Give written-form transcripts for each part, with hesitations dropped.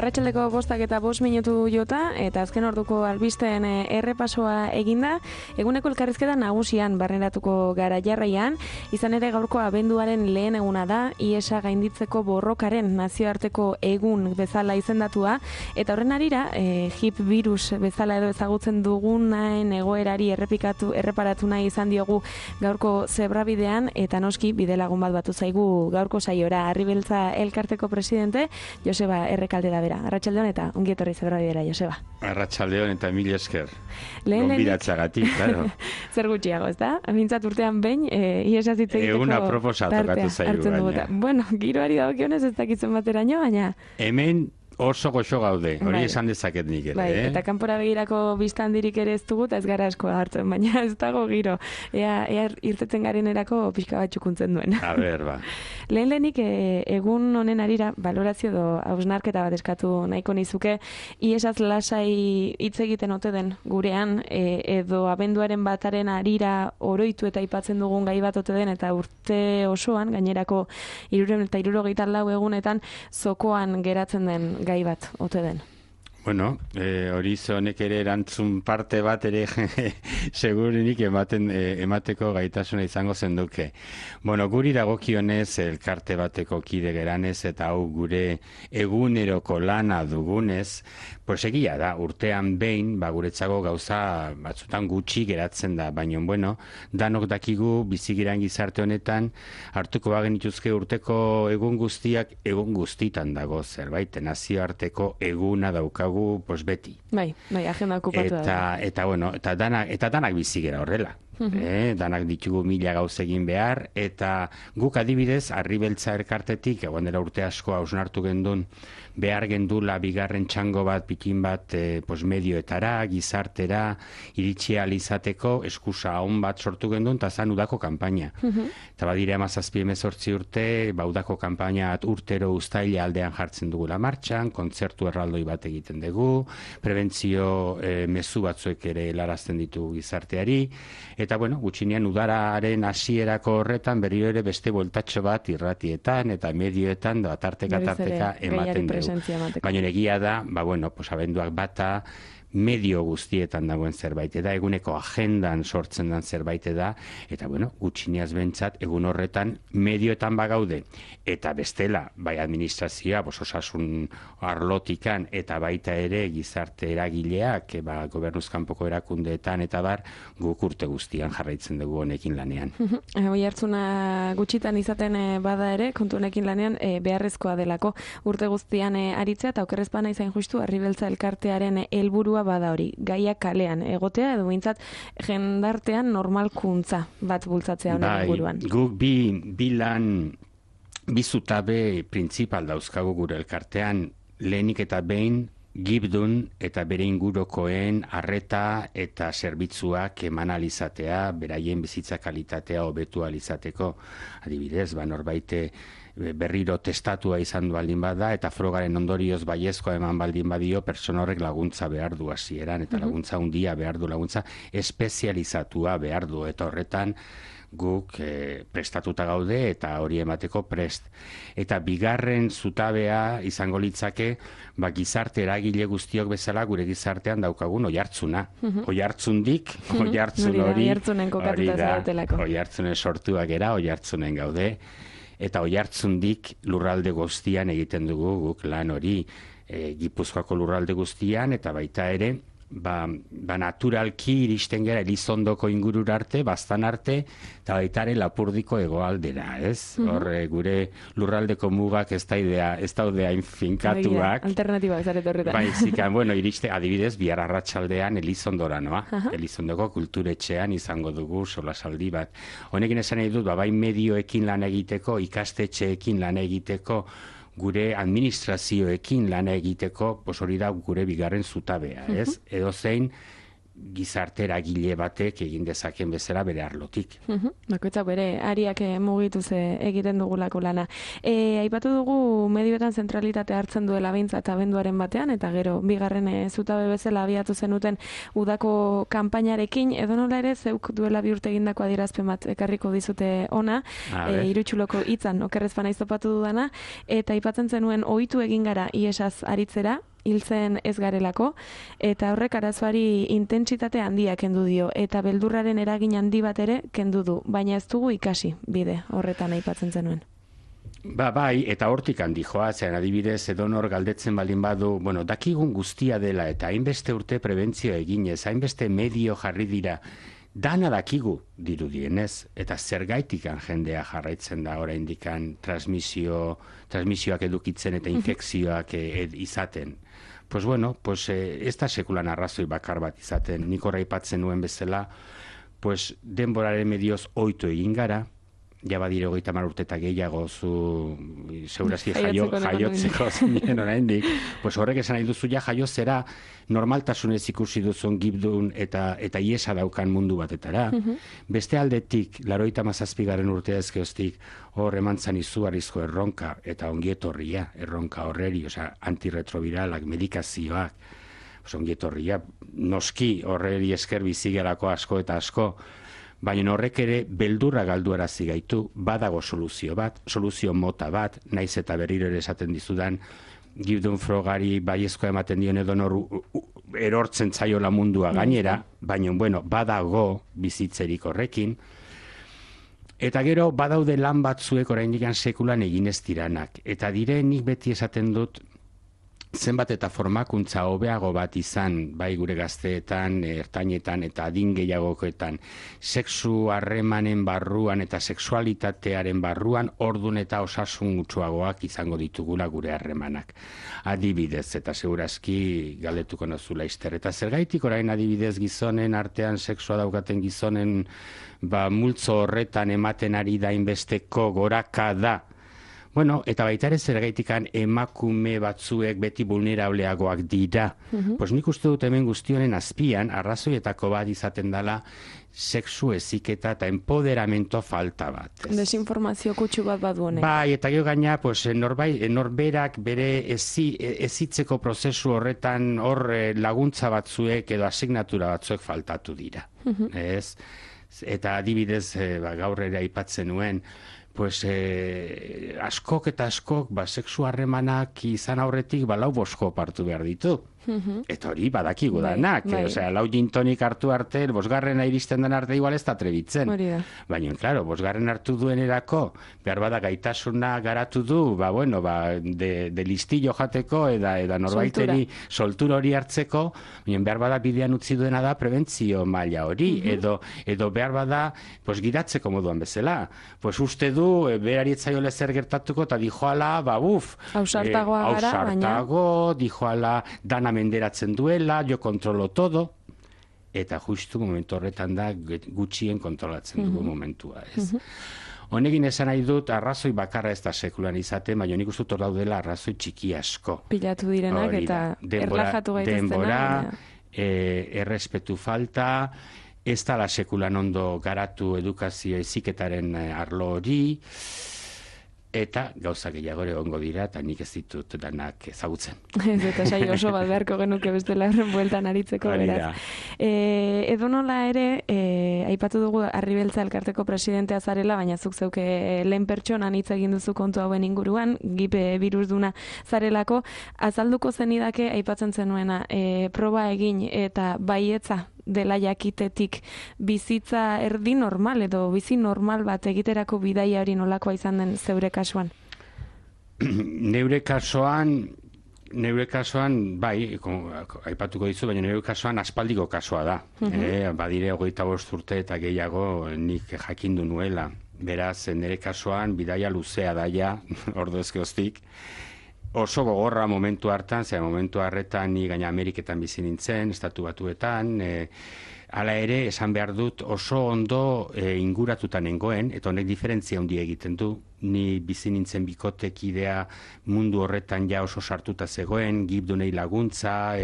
Arratsaldeko 5:05 jota, eta azken orduko albisteen errepasoa eginda, eguneko elkarrizketa nagusian barneratuko gara jarraian, izan ere gaurko abenduaren lehen eguna da, IESa gainditzeko borrokaren nazioarteko egun bezala izendatua, eta horren arira, hip virus bezala edo ezagutzen dugunaen egoerari erreparatu nahi izan diogu gaurko zebrabidean, eta noski bidelagun bat batu zaigu gaurko saiora. Arribeltza elkarteko presidente, Joseba Errekalde da bera. Arratsaldeon eta ongi etorri zebrabidera, Joseba. Arratsaldeon eta mil esker. Gonbidatzagatik, claro. Zer gutxiago, ez da? Mintzat urtean behin, IESaz hitz egiteko Eguna proposa tokatu zaigu baina. Bueno, giroari dagokionez ez dakitzen bateraino, baina... Hemen oso goxo gaude, hori esan dezaket nik ere. Bai, eta kanpora begirako biztandirik ere ez dugu, eta ez gara asko hartzen, baina ez dago giro. Ea irteten garenerako pixka bat txukuntzen duen. A ber, ba. Lehenik egun honen arira, balorazio edo hausnarketa bat eskatu nahiko nizuke, IESaz lasai hitz egiten ote den gurean, edo abenduaren bataren arira oroitu eta aipatzen dugun gai bat ote den, eta urte osoan, gainerako 364 egunetan, zokoan geratzen den gai bat ote den. Bueno, hori honek ere erantzun parte bat ere segurenik emateko gaitasuna izango zenduke. Bueno, guri dagokionez elkarte bateko kide geranez eta hau gure eguneroko lana dugunez, pues egia da, urtean behin, guretzako gauza batzutan gutxi geratzen da, baina, bueno, danok dakigu bizigiran gizarte honetan, hartuko bagenituzke urteko egun guztiak egun guztitan dago zerbait, nazioarteko eguna daukagu pues beti. Bai, agenda okupatu da. Eta danak bizigera horrela. Danak ditugu 1000 gauz egin behar, eta guk adibidez, Arribeltza elkartetik, egon dela urte asko hausnartu gendun, behar gendula bigarren txango bat, pikin bat, medioetara, gizartera, iritsi ahal izateko, eskusa on bat sortu gendun, eta zan udako kanpaina. Eta badire 17-18 urte, udako kanpaina urtero uztaila aldean jartzen dugula martxan, kontzertu erraldoi bat egiten dugu, prebentzio mezu batzuek ere helarazten ditugu gizarteari, eta bueno, gutxinean udararen hasierako horretan berriro ere beste bueltatxo bat irratietan eta medioetan tarteka ematen dugu. Baina egia da, abenduak bata medio guztietan dagoen zerbait da, eguneko agendan sortzen den zerbait da, eta gutxineaz bentsat egun horretan medioetan bagaude, eta bestela, bai administrazioa, osasun arlotikan, eta baita ere gizarte eragileak, gobernuzkanpoko erakundeetan, eta guk urte guztian jarraitzen dugu honekin lanean. Hoi hartzuna gutxitan izaten bada ere, kontu honekin lanean beharrezkoa delako urte guztian aritzea, eta okerrezpana izan justu, Arribeltza elkartearen helburua bada hori, gaiak kalean egotea, edo bintzat jendartean normalkuntza bat bultzatzea honen inguruan. Guk bi zutabe printzipal dauzkagu gure elkartean, lehenik eta behin gibdun eta bere ingurokoen arreta eta zerbitzuak eman alizatea, beraien bizitza kalitatea hobetu alizateko. Adibidez, norbaite berriro testatua izan du baldin bada, eta frogaren ondorioz baiezkoa eman baldin badio, pertsona horrek laguntza behar du hasieran, eta laguntza handia behar du, laguntza espezializatua behar du, eta horretan guk prestatuta gaude eta hori emateko prest. Eta bigarren zutabea izango litzake, gizarte eragile guztiok bezala gure gizartean daukagun oihartzuna. Oihartzundik, oihartzun hori, oihartzunen sortuak era, oihartzunen gaude, eta oihartzundik lurralde guztian egiten dugu guk lan hori, Gipuzkoako lurralde guztian, eta baita ere, naturalki iristen gara Elizondoko ingurura arte, Baztan arte, eta baita ere Lapurdiko hegoaldera, ez? Horre, gure lurraldeko mugak ez daude hain finkatuak. Alternatibak zaret horretan. Baizikan, adibidez, bihar arratsaldean Elizondora noa. Elizondoko kulturetxean izango dugu solasaldi bat. Honekin esan nahi dut, bai medioekin lan egiteko, ikastetxeekin lan egiteko, gure administrazioekin lan egiteko, hori da gure bigarren zutabea, ez? Edo zein gizartera gile batek egin dezaken bezala bere arlotik. Bakoitzak bere ariak mugituz egiten dugulako lana. Aipatu dugu medioetan zentralitate hartzen duela behintzat abenduaren batean, eta gero bigarren zutabe bezala abiatu zenuten udako kanpainarekin, edo nola ere zeuk duela bi urte egindako adierazpen bat ekarriko dizute ona, irutsuloko hitzan okerrez bana iztopatu dudana, eta aipatzen zenuen ohitu egin gara iesaz aritzera, hiltzen ez garelako, eta horrek arazoari intentsitate handia kendu dio, eta beldurraren eragin handi bat ere kendu du, baina ez dugu ikasi bide horretan aipatzen zenuen. Bai, eta hortik handi joa, zean adibidez, edonor galdetzen baldin badu, dakigun guztia dela, eta hainbeste urte prebentzio eginez, hainbeste medio jarri dira, dana dakigu dirudienez, eta zergaitikan jendea jarraitzen da oraindikan transmisioak edukitzen eta infekzioak izaten. Ez da sekulan arrazoi bakar bat izaten, nik horra aipatzen nuen bezala, denboraren medioz ohitu egin gara, ja badire 30 urte eta gehiago zu segurazki jaiotzeko zinen oraindik, horrek esan nahi duzu ja jaiozera normaltasunez ikusi duzun gibdun eta iesa daukan mundu batetara. Beste aldetik, 87. urtea ezkeoztik, hor emantzan izugarrizko erronka eta ongietorria erronka horreri, antirretroviralak, medikazioak, ongietorria, noski horreri esker bizigerako asko eta asko, baina horrek ere beldurra galduarazi gaitu, badago soluzio mota bat, naiz eta berriro ere esaten dizudan, gibdun frogari baiezkoa ematen dion edonor erortzen zaiola mundua gainera, baina badago bizitzerik horrekin, eta gero badaude lan batzuek oraindik sekulan egin ez diranak, eta nik beti esaten dut, zenbat eta formakuntza hobeago bat izan, bai gure gazteetan, ertainetan eta adin gehiagokoetan, sexu harremanen barruan eta sexualitatearen barruan ordun eta osasun gutxuagoak izango ditugula gure harremanak. Adibidez, eta segurazki galdetuko nozula izter. Eta zergaitik orain adibidez gizonen artean sexua daukaten gizonen multzo horretan ematen ari da inbesteko goraka da. Eta baita ere zergaitikan emakume batzuek beti vulnerableagoak dira. Nik uste dut hemen guztionen azpian, arrazoietako bat izaten dela, sexu heziketa eta empoderamento falta bat. Desinformazio kutsu bat badu honek. Bai, eta gero gaina, norberak bere ezitzeko prozesu horretan hor laguntza batzuek edo asignatura batzuek faltatu dira. Eta adibidez, gaur ere aipatzen nuen, askok eta askok sexu harremanak izan aurretik 4 hartu behar ditu. Eta hori badakigu danak. Lau gin tonik hartu arte, 5. iristen den arte igual ez da trebitzen. Baina, klaro, 5. hartu duenerako, behar bada gaitasuna garatu du, de listillo jateko, eta norbaiteri soltura hori hartzeko, behar bada bidean utzi duena da prebentzio maila hori, edo behar bada giratzeko moduan bezala. Uste du, berari etzaio lezer gertatuko, eta dijoala, ausartagoa gara, baina dijoala dana menderatzen duela, jo kontrolo todo, eta justu momentu horretan da gutxien kontrolatzen dugu momentua. Honekin esan nahi dut, arrazoi bakarra ez da sekulan izaten, baina nik uste dut hor daudela arrazoi txiki asko. Pilatu direnak eta erlajatu gaiteztenak. Denbora, errespetu falta, ez da la sekulan ondo garatu edukazio heziketaren arlo hori, eta gauza gehiago egongo dira, eta nik ez ditut danak ezagutzen. Eta saio oso bat beharko genuke bestela horren bueltan aritzeko, beraz. Edo nola ere, aipatu dugu Arribeltza elkarteko presidentea zarela, baina zuk zeuke lehen pertsonan hitz egin duzu kontu hauen inguruan, gipe birusduna zarelako, azalduko zenidake aipatzen zenuena, proba egin eta baietza dela jakitetik bizitza erdi normal edo bizi normal bat egiterako bidaia hori nolakoa izan den zeure kasuan? Neure kasuan, bai, aipatuko dizu, baina neure kasuan aspaldiko kasua da. Badire 25 urte eta gehiago nik jakindu nuela. Beraz, nire kasuan bidaia luzea daia, ordu ezkeoztik. Oso gogorra momentu hartan, momentu harretan ni gaina Ameriketan bizi nintzen, Estatu Batuetan, hala ere, esan behar dut oso ondo inguratuta nengoen, eta honek diferentzia handia egiten du. Ni bizi nintzen bikotekidea mundu horretan ja oso sartuta zegoen, gibdunei laguntza,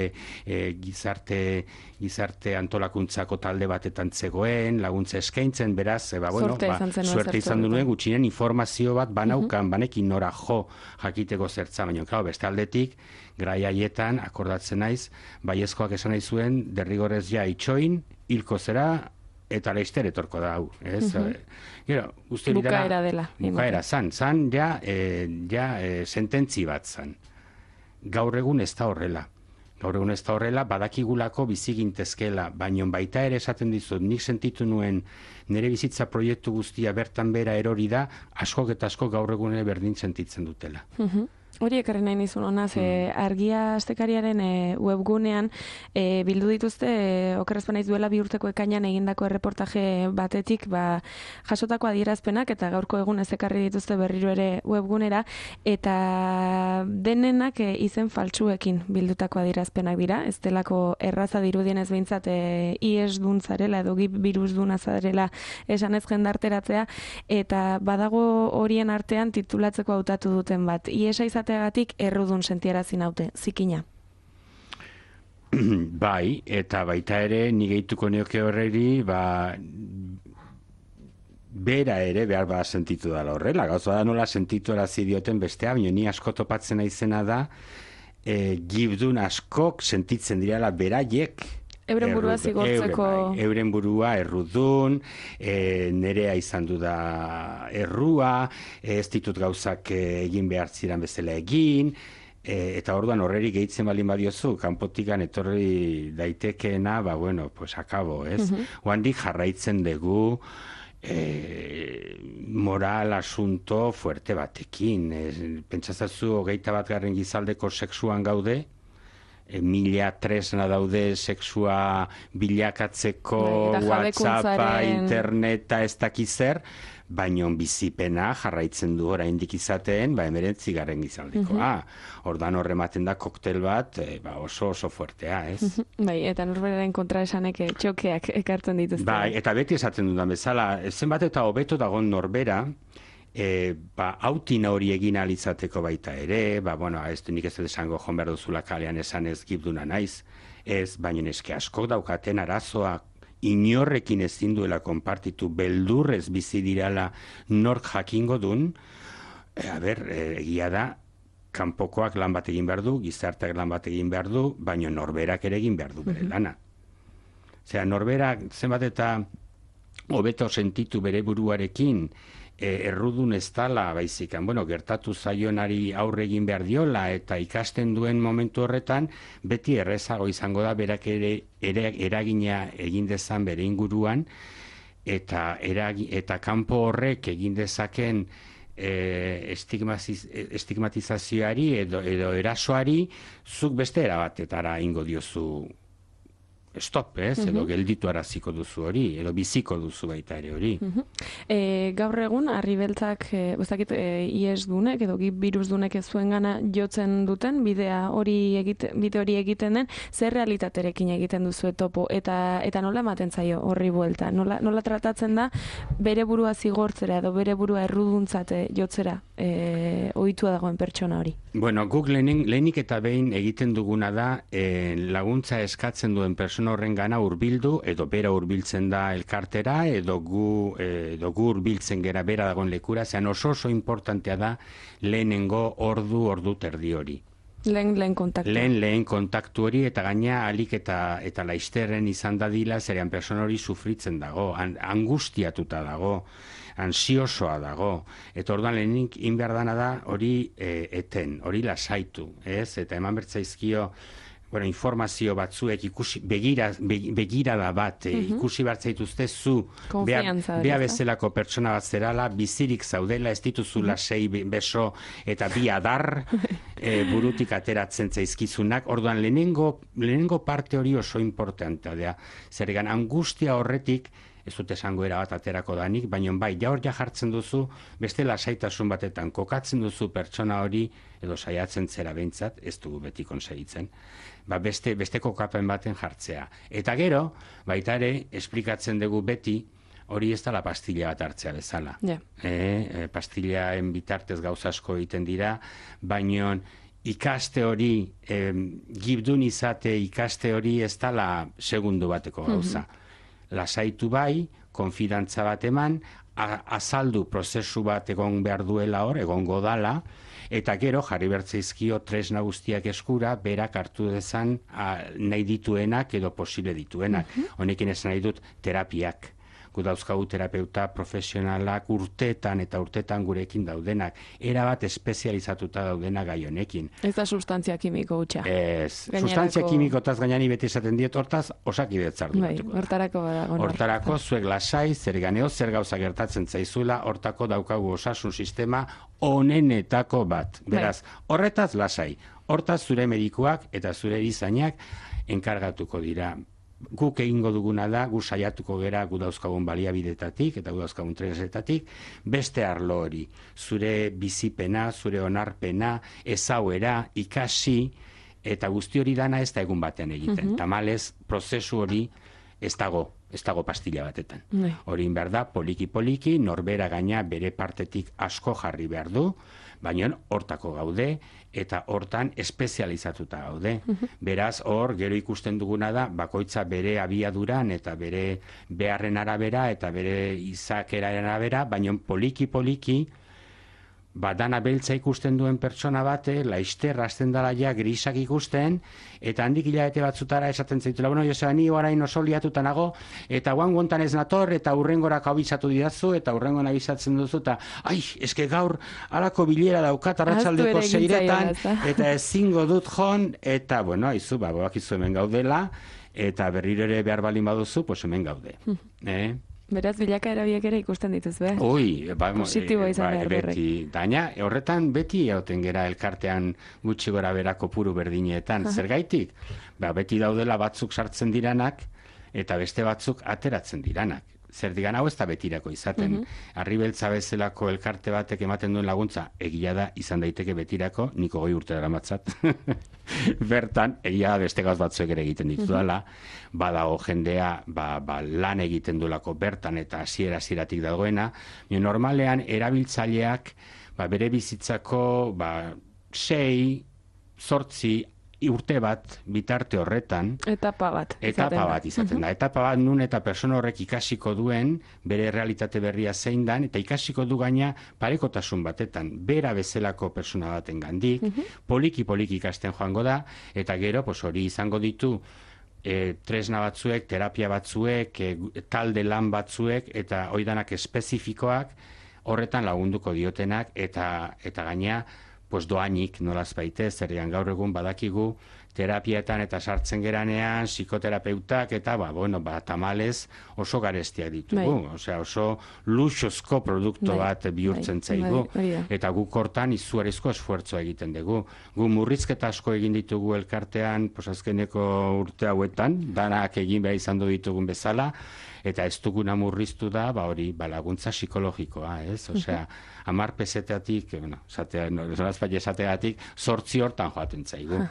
gizarte antolakuntzako talde batetan zegoen, laguntza eskaintzen, beraz, suerte izan duen gutxinen informazio bat banaukan, banekin nora jakiteko zertza, baina, beste aldetik, grai haietan, akordatzen naiz, baiezkoak esan nahi zuen, derrigorez ja itxoin, hilko zera, eta leister etorko da hau, ez? Bukaera dela. Bukaera, zan sententzi bat zan. Gaur egun ez da horrela. Badakigulako bizigintezkela, baino baita ere esaten dizut, nik sentitu nuen nire bizitza proiektu guztia bertan bera erori da, askok eta askok gaur egun berdin sentitzen dutela. Hori ekarri nahi nizun, honaz, Argia Astekariaren webgunean bildu dituzte, okerrez banaiz duela 2 urteko ekainan egindako erreportaje batetik, jasotako adierazpenak, eta gaurko egun ez ekarri dituzte berriro ere webgunera, eta denenak izen faltsuekin bildutako adierazpenak dira, ez delako erraza dirudienez behintzat IES duntzarela, edo virus dunazarela esanez jendarteratzea, eta badago horien artean titulatzeko hautatu duten bat. IES izateagatik errudun sentiarazi naute, zikina. Bai, eta baita ere, ni gehituko neoke horreri, bera ere behar sentitu dela horrela. Gauza da nola sentitu erazi dioten bestea, baina ni asko topatzen naizena da, gibdun askok sentitzen direla beraiek, euren burua zigortzeko... Euren burua errudun, nerea izan du da errua, ez ditut gauzak egin behar ziren bezala egin, eta orduan horreri gehitzen balin badiozu, kanpotikan etorri daitekeena, akabo, ez? Oandik jarraitzen dugu, moral asunto fuerte batekin. Pentsazazu 21. gizaldeko sexuan gaude, 1000 tresna daude sexua bilakatzeko, WhatsAppa, interneta, ez dakizer, baina bizipena jarraitzen du oraindik izaten, 19. gizaldikoa. Ordan horrematen da koktel bat, oso fuertea, ez? Bai, eta norberaren kontra esanek txokeak ekartzen dituzte. Bai, eta beti esaten dudan bezala, zenbat eta hobeto dagon norbera, autina hori egin alizateko baita ere, ez nik ez esango joan behar duzula kalean esan ez gibduna naiz, ez, baina eske askok daukaten arazoa inorrekin ezin duela konpartitu, beldurrez bizi dirala nork jakingo dun, egia da, kanpokoak lan bat egin behar du, gizarteak lan bat egin behar du, baina norberak ere egin behar du bere lana. Osea, norberak zenbat eta hobeto sentitu bere buruarekin, errudun ez dala, baizikan, gertatu zaionari aurre egin behar diola, eta ikasten duen momentu horretan, beti errezago izango da berak ere eragina egin dezan bere inguruan, eta kanpo horrek egin dezaken estigmatizazioari edo erasoari, zuk beste erabatetara ingo diozu stop, edo gelditu araziko duzu hori, edo biziko duzu baita ere hori. Gaur egun, Arribeltzak, IES dunek, edo virus dunek ez zuen gana jotzen duten, bide hori egiten den, zer realitaterekin egiten duzu topo, eta nola ematen zaio horri buelta? Nola tratatzen da bere burua zigortzera, edo bere burua erruduntzate jotzera ohitua dagoen pertsona hori? Guk lehenik eta behin egiten duguna da, laguntza eskatzen duen pertsona horren gana hurbildu, edo bera hurbiltzen da elkartera, edo gu hurbiltzen gera bera dagoen lekura, zean oso importantea da lehenengo ordu terdi hori. Lehen kontaktu. Lehen kontaktu hori, eta gaina alik eta laizterren izan dadila, zerean persona hori sufritzen dago, angustiatuta dago, ansiosoa dago, eta orduan lehenik inberdana da hori eten, hori lasaitu, ez? Eta eman bertzaizkio informazio batzuek begirada bat ikusi bartzaituzte zu bea bezalako pertsona bat zerala, bizirik zaudela, ez dituzula 6 beso eta 2 adar burutik ateratzen zaizkizunak. Orduan lehenengo parte hori oso importantea da. Zergan angustia horretik ez dut esango erabat aterako danik, baina bai, ja hor ja jartzen duzu, beste lasaitasun batetan kokatzen duzu pertsona hori, edo saiatzen zera behintzat, ez dugu beti konsegitzen, beste kokapen baten jartzea. Eta gero, baita ere, esplikatzen dugu beti, hori ez da la pastilla bat hartzea bezala. Pastillaen bitartez gauza asko egiten dira, baina ikaste hori, gibdun izate ikaste hori ez da la segundu bateko gauza. Lasaitu bai, konfidantza bat eman, azaldu prozesu bat egon behar duela hor, egongo dala, eta gero jarri bertzeizkio tresna guztiak eskura, berak hartu dezan nahi dituenak edo posible dituenak. Honekin esan nahi dut terapiak. Gu dauzkagu terapeuta profesionalak urtetan eta urtetan gurekin daudenak. Erabat espezializatuta daudenak gai honekin. Ez da sustantzia kimiko hutsa. Ez. Sustantzia kimikotaz gainani beti esaten diet, hortaz osakidetzar du. Hortarako badago. Hortarako zuek lasai, zer ganeo, zer gauza gertatzen zaizula, hortako daukagu osasun sistema onenetako bat. Beraz, horretaz lasai. Hortaz zure medikuak eta zure erizainak enkargatuko dira. Guk egingo duguna da, gu saiatuko gera gu dauzkagun baliabidetatik eta gu dauzkagun tresnetatik, beste arlo hori, zure bizipena, zure onarpena, ezauera, ikasi, eta guzti hori dana ez da egun batean egiten. Tamalez, prozesu hori ez dago pastilla batetan. Hori behar da, poliki-poliki, norbera gaina bere partetik asko jarri behar du, baina hortako gaude, eta hortan espezializatuta gaude. Beraz, hor, gero ikusten duguna da, bakoitza bere abiaduran eta bere beharren arabera eta bere izakeraren arabera, baina poliki-poliki, dana beltza ikusten duen pertsona bate, laizter hasten dala ja grisak ikusten, eta handik hilabete batzutara esaten zaitula, bueno, Joseba, ni orain oso liatuta nago, eta guangontan ez nator, eta hurrengorak abizatu didazu, eta hurrengoan abizatzen duzu, eta, eske gaur alako bilera daukat arratsaldeko 6etan, eta ezingo dut jon, eta, bueno, aizu, bakizu hemen gaudela, eta berriro ere behar balin baduzu, pues hemen gaude. Beraz, bilakaera biak ere ikusten dituz, positiboa izan behar berrek. Daina, horretan beti egoten gera elkartean gutxi gora berako puru berdinetan. Zergaitik? Beti daudela batzuk sartzen diranak, eta beste batzuk ateratzen diranak. Zer digan hau ez da betirako izaten. Arribeltza bezalako elkarte batek ematen duen laguntza, egia da izan daiteke betirako, niko 20 urte daramatzat. Bertan, egia beste gauz batzuek ere egiten ditudala, badago jendea lan egiten duelako bertan eta hasieratik dagoena, normalean erabiltzaileak bere bizitzako 6, 8 urte bat bitarte horretan etapa bat izaten da. Etapa bat nun eta persona horrek ikasiko duen bere realitate berria zein dan, eta ikasiko du gaina parekotasun batetan bera bezalako persona baten gandik, poliki ikasten joango da, eta gero hori izango ditu tresna batzuek, terapia batzuek, talde lan batzuek, eta oidanak espezifikoak horretan lagunduko diotenak, eta gaina doainik nolaz baite, zerrian gaur egun badakigu terapietan eta sartzen geranean, psikoterapeutak eta tamalez oso garestiak ditugu. Oso luxuzko produktu bat bihurtzen zaigu. Eta guk hortan izugarrizko esfuertzoa egiten dugu. Gu murrizketa asko egin ditugu elkartean, azkeneko urte hauetan, danak egin behar izan ditugun bezala, eta ez duguna murriztu da, laguntza psikologikoa, ez? 10 peseteatik, esateatik, 8 hortan joaten zaigu.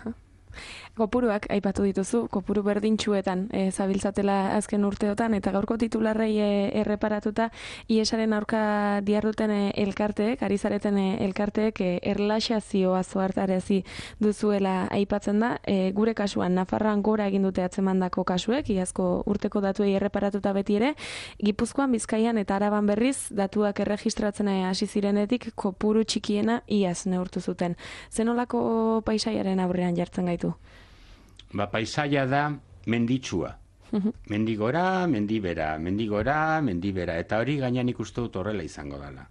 Kopuruak aipatu dituzu, kopuru berdintxuetan zabiltzatela azken urteotan, eta gaurko titularrei erreparatuta, IESaren aurka diarduten elkarteek, ari zareten elkarteek, erlaxazioa zoartarazi duzuela aipatzen da. Gure kasuan, Nafarroan gora egin dute atzemandako kasuek, iazko urteko datuei erreparatuta beti ere, Gipuzkoan, Bizkaian eta Araban berriz, datuak erregistratzen hasi zirenetik, kopuru txikiena iaz neurtu zuten. Zenolako paisaiaren aurrean jartzen gaitu? Paisaia da menditsua. Mendigora, mendibera, mendigora, mendibera. Eta hori gainean ikustu dut horrela izango dela.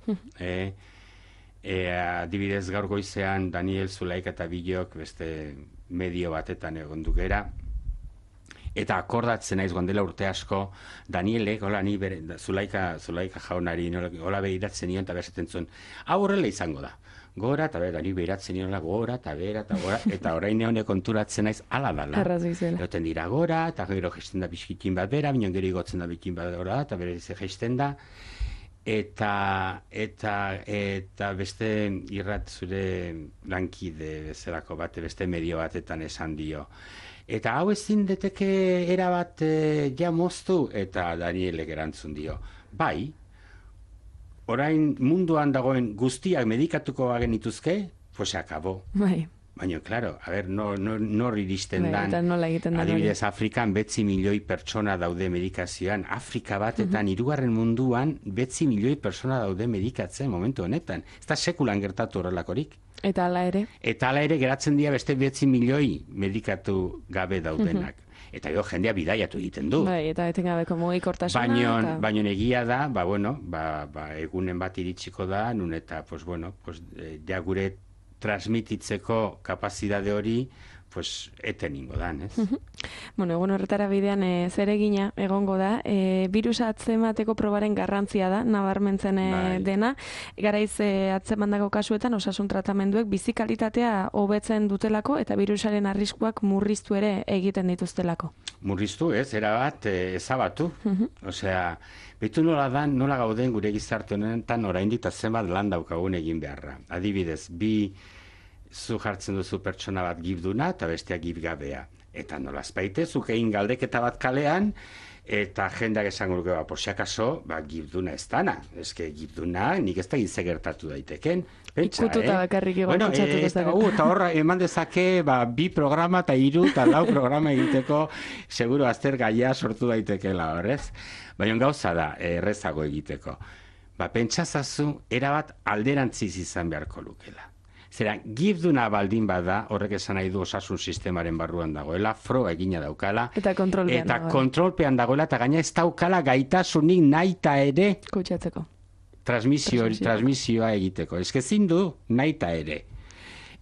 Adibidez gaur goizean Daniel Zulaik eta Bilok beste medio batetan egon dugera. Eta akordatzen naiz gondela urte asko, Danielek, hola ni Zulaika jaunari, hola behiratzen nion eta behasetzen zuen, hau horrela izango da. Gora, eta bera, ni behiratzen niola, gora, eta bera, eta gora, eta orain neone konturatzen naiz, ala dala. Eroten dira gora, eta gero gesten da biskitin bat bera, binon gero igotzen da bikin bat gora, eta bera dize gesten da, eta beste irrat zure lankide bezalako bate, beste medio batetan esan dio. Eta hau ezin deteke erabat ja moztu, eta Danielek erantzun dio. Bai, orain munduan dagoen guztiak medikatuko genituzke, pues akabo. Bai. Baina, claro, a ver, nor iristen dan. Eta nola egiten dan. Adibidez, Afrikan 9 milioi pertsona daude medikazioan. Afrika batetan, hirugarren munduan, 9 milioi pertsona daude medikatzen momentu honetan. Ez da sekulan gertatu horrelakorik. Eta hala ere? Eta hala ere geratzen dira beste 9 milioi medikatu gabe daudenak. Eta gero jendea bidaiatu egiten du. Bai, eta etengabeko mugikortasuna. Baino egia da, egunen bat iritsiko da, nun eta, ja gure transmititzeko kapazidade hori, eten ingo dan, ez? Bueno, egun horretara bidean zeregina egongo da. Birusa atzemateko probaren garrantzia da, nabarmentzen dena. Garaiz atzemandako kasuetan osasun tratamenduek bizikalitatea hobetzen dutelako eta birusaren arriskuak murriztu ere egiten dituztelako. Murriztu, ez? Erabat ezabatu. Osea, betu nola gauden gure gizarte honetan oraindik eta zenbat lan daukagun egin beharra. Adibidez, zu jartzen duzu pertsona bat gibduna eta besteak gibgabea. Eta nola azpaite, zuk egin galdeketa bat kalean, eta jendeak esango dugu, posiakaso, gibduna ez dana. Eske gibduna, nik ez da gizze gertatu daiteken. Ikututa bakarrik egon pentsatuko zake. Eta horra, eman dezake, 2 programa eta 3 eta 4 programa egiteko, seguro azter gaia sortu daitekela, horrez? Baina gauza da, errezago egiteko. Pentsazazu, erabat alderantziz izan beharko lukela. Zera, gibduna baldin bada, horrek esan nahi du osasun sistemaren barruan dagoela, froga egina daukala. Eta kontrolpean dagoela, eta gaina ez daukala gaitasunik naita ere kutsatzeko. Transmisioa egiteko. Ez kezin du naita ere.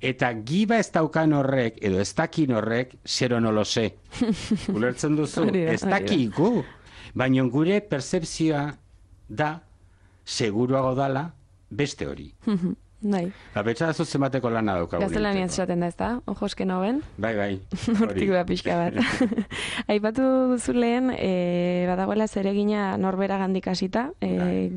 Eta giba ez daukan horrek, edo ez dakin horrek, zero nolo ze. Ulertzen duzu, ez dakigu. Baina gure percepzioa da, seguruago dala, beste hori. Bai. Betxa da zuzen bateko lana daukagun. Gaztelaniaz esaten da ez da, ojoske noben. Bai. Hortik da pixka bat. Aipatu duzu lehen, badagoela zeregina norbera gandik hasita,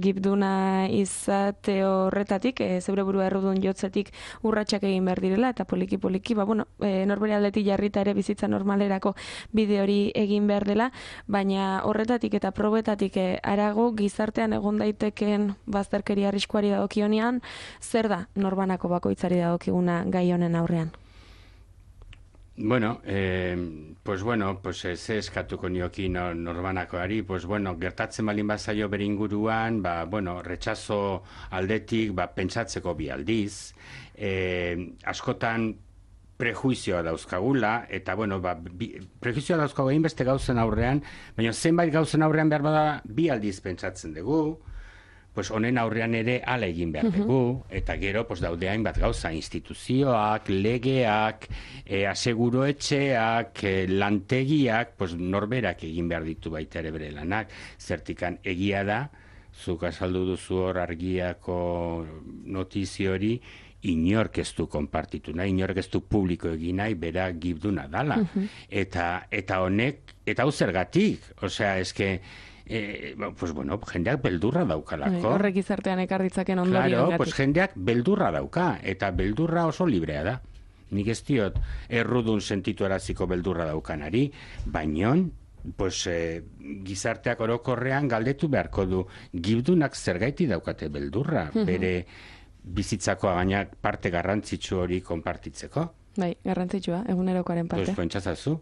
gibduna izate horretatik, zeure burua errudun jotzetik urratsak egin behar direla, eta poliki-poliki, norbera aldetik jarrita ere bizitza normalerako bide hori egin behar dela, baina horretatik eta probetatik arago gizartean egon daiteken bazterkeria arriskuari dagokionean, zer da norbanako bakoitzari dagokiguna gai honen aurrean? Ze eskatuko nioki norbanakoari, gertatzen balin bazaio bere inguruan, retxazo aldetik, pentsatzeko bi aldiz, askotan prejuizioa dauzkagula, eta, prejuizioa dauzkagu egin beste gauzen aurrean, baina zenbait gauzen aurrean behar bada bi aldiz pentsatzen dugu, honen aurrean ere ala egin behar dugu, eta gero daude hainbat gauza, instituzioak, legeak, aseguroetxeak, lantegiak, norberak egin behar ditu baita ere bere lanak, zertikan egia da, zuk azaldu duzu hor argiako notizio hori, inork ez du konpartitu nahi, inork ez du publiko egin nahi, bera gibduna dala. Eta honek, eta hau zergatik, osea, eske, jendeak beldurra daukalako. Horrek izartean ekar ditzaken ondorio gatik. Claro, jendeak beldurra dauka, eta beldurra oso librea da. Nik ez diot errudun sentitu araziko beldurra daukanari, baino, gizarteak orokorrean galdetu beharko du, gibdunak zergaiti daukate beldurra, bere bizitzako gaina parte garrantzitsu hori konpartitzeko. Bai, garrantzitsua, egunerokoaren parte. Pentsazazu.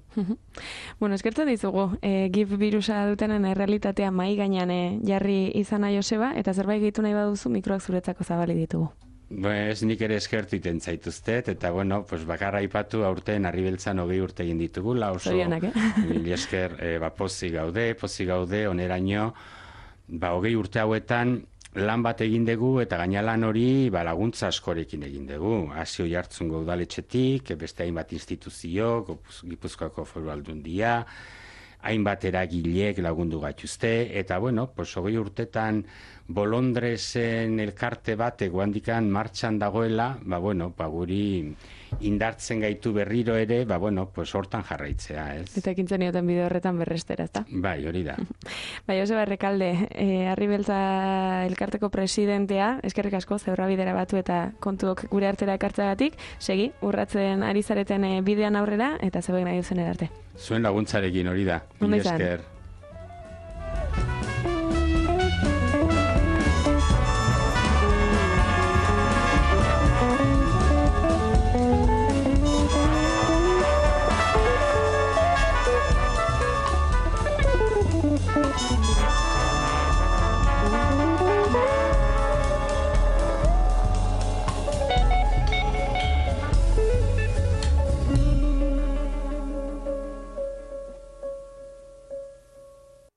Eskertzen dizugu, gib birusa dutenen errealitatea mai gainean jarri izana Joseba, eta zerbait gehitu nahi baduzu mikroak zuretzako zabali ditugu. Ez nik ere eskertu iten zaituztet, eta bakarra aipatu aurten Arribeltzan 20 urte egin ditugula, oso mil esker pozik gaude, oneraino, 20 urte hauetan, lan bat egin dugu eta gaina lan hori laguntza askorekin egin dugu. Hasi Oiartzungo udaletxetik, beste hainbat instituzio, Gipuzkoako Foru Aldundia, hainbat eragilek lagundu gaituzte, eta bueno, pues 20 urtetan Bolondresen elkarte bat eguandikan martxan dagoela, bueno, guri indartzen gaitu berriro ere, bueno, pues hortan jarraitzea, ez? Eta ekintzen nioten bide horretan berrestera, ezta? Bai, hori da. Bai, Joseba Errekalde, Arribeltza elkarteko presidentea, eskerrik asko, zebrabidera batu eta kontuok gure artera ekartzeagatik, segi, urratzen ari zareten bidean aurrera, eta zegoen nahi duzen edarte. Zuen laguntzarekin hori da. Ondo izan. Esker.